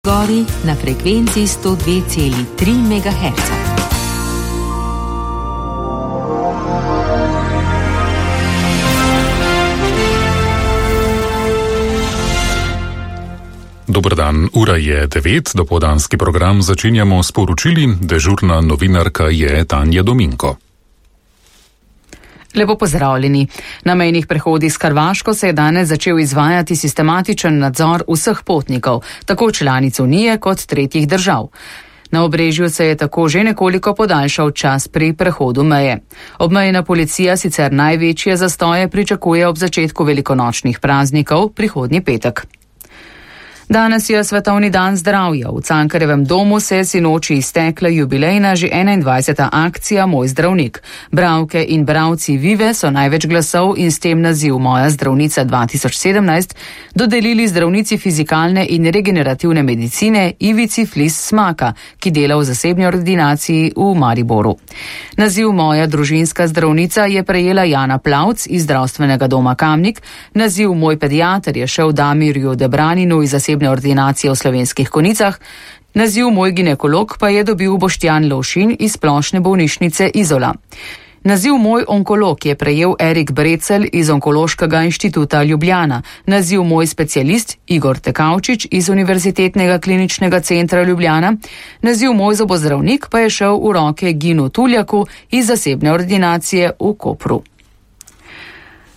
Gori na frekvenci 102,3 MHz. Dober dan, ura je 9, dopoldanski program začenjamo s poročili, dežurna novinarka je Tanja Dominko. Lepo pozdravljeni. Na mejnih prehodih s Hrvaško se je danes začel izvajati sistematičen nadzor vseh potnikov, tako članic Unije kot tretjih držav. Na Obrežju se je tako že nekoliko podaljšal čas pri prehodu meje. Obmejna policija sicer največje zastoje pričakuje ob začetku velikonočnih praznikov prihodnji petek. Danes je Svetovni dan zdravja. V Cankarjevem domu se je sinoči iztekla jubilejna že 21. akcija Moj zdravnik. Bralke in bralci Vive so največ glasov in s tem naziv Moja zdravnica 2017 dodelili zdravnici fizikalne in regenerativne medicine Ivici Flis Smaka, ki dela v zasebni ordinaciji v Mariboru. Naziv Moja družinska zdravnica je prejela Jana Plavc iz zdravstvenega doma Kamnik, naziv Moj pediater je šel Damirju Debraninu iz zasebne ordinacije v Slovenskih Konjicah, naziv Moj ginekolog pa je dobil Boštjan Lovšin iz splošne bolnišnice Izola. Naziv Moj onkolog je prejel Erik Brecelj iz Onkološkega inštituta Ljubljana, naziv Moj specialist Igor Tekavčič iz Univerzitetnega kliničnega centra Ljubljana, naziv Moj zobozdravnik pa je šel v roke Ginu Tuljaku iz zasebne ordinacije v Kopru.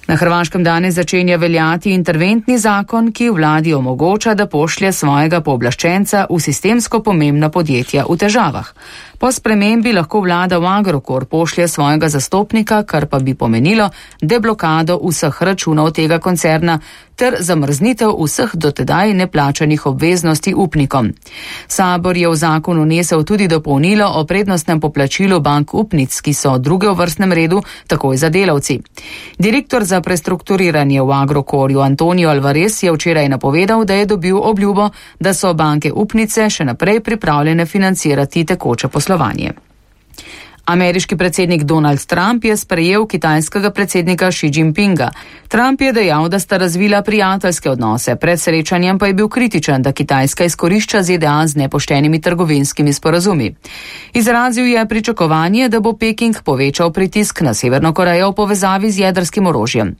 Na Hrvaškem danes začenja veljati interventni zakon, ki vladi omogoča, da pošlje svojega pooblaščenca v sistemsko pomembna podjetja v težavah. Po spremembi lahko vlada v Agrokor pošlje svojega zastopnika, kar pa bi pomenilo deblokado vseh računov tega koncerna ter zamrznitev vseh dotedaj neplačanih obveznosti upnikom. Sabor je v zakon vnesel tudi dopolnilo o prednostnem poplačilu bank upnic, ki so druge v vrstnem redu, takoj za delavci. Direktor za prestrukturiranje v Agrokorju Antonio Alvarez je včeraj napovedal, da je dobil obljubo, da so banke upnice še naprej pripravljene financirati tekoče poslovanje. Ameriški predsednik Donald Trump je sprejel kitajskega predsednika Xi Jinpinga. Trump je dejal, da sta razvila prijateljske odnose, pred srečanjem pa je bil kritičen, da Kitajska izkorišča ZDA z nepoštenimi trgovinskimi sporazumi. Izrazil je pričakovanje, da bo Peking povečal pritisk na Severno Korejo v povezavi z jedrskim orožjem.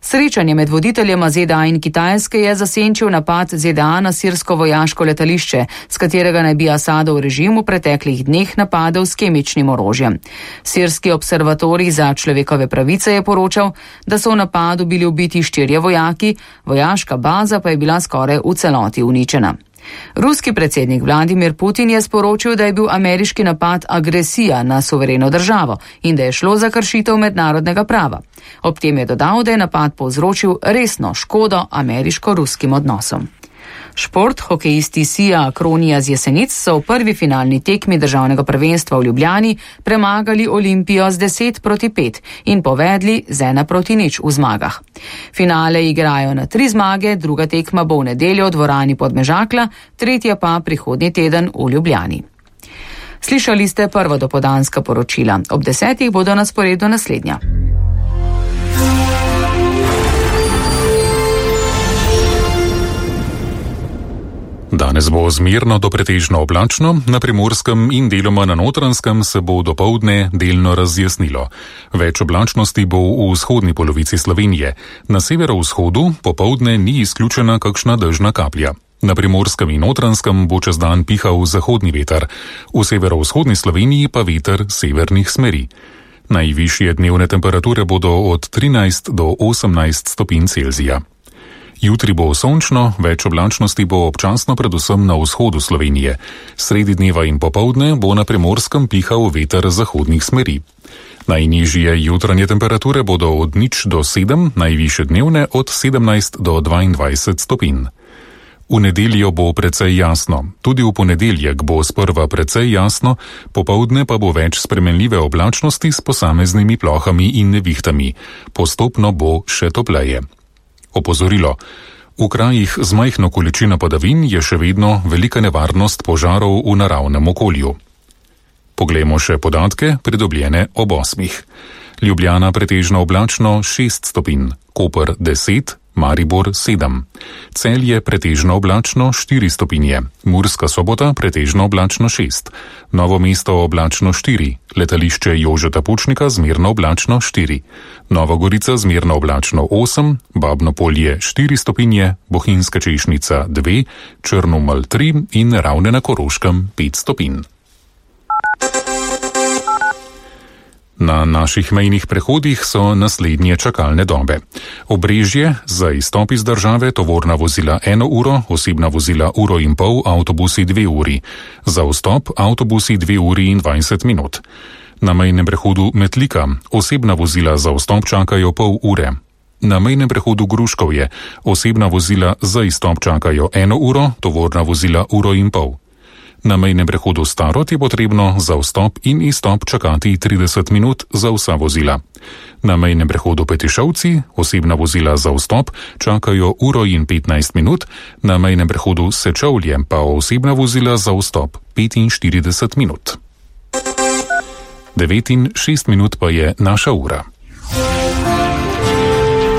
Srečanje med voditeljema ZDA in Kitajske je zasenčil napad ZDA na sirsko vojaško letališče, s katerega naj bi Asadov režim v preteklih dneh napadel s kemičnim orožjem. Sirski observatorij za človekove pravice je poročal, da so v napadu bili ubiti 4 vojaki, vojaška baza pa je bila skoraj v celoti uničena. Ruski predsednik Vladimir Putin je sporočil, da je bil ameriški napad agresija na suvereno državo in da je šlo za kršitev mednarodnega prava. Ob tem je dodal, da je napad povzročil resno škodo ameriško-ruskim odnosom. Šport, hokejisti Sija Akronija z Jesenic so v prvi finalni tekmi državnega prvenstva v Ljubljani premagali Olimpijo z 10-5 in povedli z 1-0 v zmagah. Finale igrajo na 3 zmage, druga tekma bo v nedeljo v dvorani Podmežakla, tretja pa prihodnji teden v Ljubljani. Slišali ste prvo dopoldanska poročila. Ob 10 bodo na sporedu naslednja. Danes bo zmerno do pretežno oblačno, na Primorskem in deloma na Notranjskem se bo dopoldne delno razjasnilo. Več oblačnosti bo v vzhodni polovici Slovenije. Na severovzhodu popoldne ni izključena kakšna dežna kaplja. Na Primorskem in Notranjskem bo čez dan pihal zahodni veter, v severovzhodni Sloveniji pa veter severnih smeri. Najvišje dnevne temperature bodo od 13 do 18 stopinj Celzija. Jutri bo sončno, več oblačnosti bo občasno predvsem na vzhodu Slovenije. Sredi dneva in popoldne bo na Primorskem pihal veter zahodnih smeri. Najnižje jutranje temperature bodo od 0 do 7, najvišje dnevne od 17 do 22 stopinj. V nedeljo bo precej jasno. Tudi v ponedeljek bo sprva precej jasno, popoldne pa bo več spremenljive oblačnosti s posameznimi plohami in nevihtami. Postopno bo še topleje. Opozorilo. V krajih z majhno količino padavin je še vedno velika nevarnost požarov v naravnem okolju. Poglejmo še podatke, pridobljene ob 8. Ljubljana pretežno oblačno 6 stopinj, Koper 10, Maribor 7. Celje pretežno oblačno 4 stopinje, Murska Sobota pretežno oblačno 6, Novo mesto oblačno 4, letališče Jožeta Pučnika zmerno oblačno 4, Nova Gorica zmerno oblačno 8, Babno Polje 4 stopinje, Bohinjska Češnica 2, Črnomelj 3 in Ravne na Koroškem 5 stopinj. Na naših mejnih prehodih so naslednje čakalne dobe. Obrežje za izstop iz države, tovorna vozila 1 uro, osebna vozila 1,5 ure, avtobusi 2 uri. Za vstop avtobusi 2 uri in 20 minut. Na mejnem prehodu Metlika osebna vozila za vstop čakajo pol ure. Na mejnem prehodu Gruškovje osebna vozila za izstop čakajo 1 uro, tovorna vozila 1,5 ure. Na mejnem prehodu Starod je potrebno za vstop in izstop čakati 30 minut za vsa vozila. Na mejnem prehodu Petišovci osebna vozila za vstop čakajo 1 uro in 15 minut, na mejnem prehodu Sečovlje pa osebna vozila za vstop 45 minut. 9 in 6 minut pa je naša ura.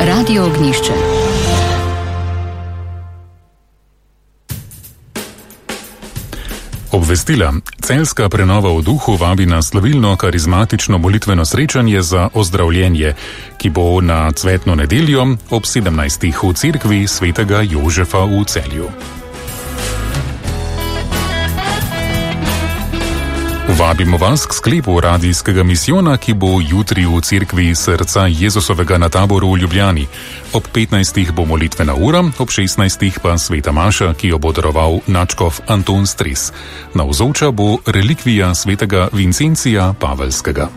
Radio Ognjišče. Obvestila. Celjska prenova v duhu vabi na slavilno karizmatično molitveno srečanje za ozdravljenje, ki bo na cvetno nedeljo ob 17. v cerkvi svetega Jožefa v Celju. Vabimo vas k sklepu radijskega misijona, ki bo jutri v cerkvi Srca Jezusovega na Taboru v Ljubljani. Ob 15. bo molitvena ura, ob 16. pa sveta maša, ki jo bo daroval nadškof Anton Stres. Navzoča bo relikvija svetega Vincencija Pavelskega.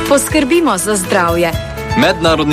Poskrbimo za zdravje. Mednarodni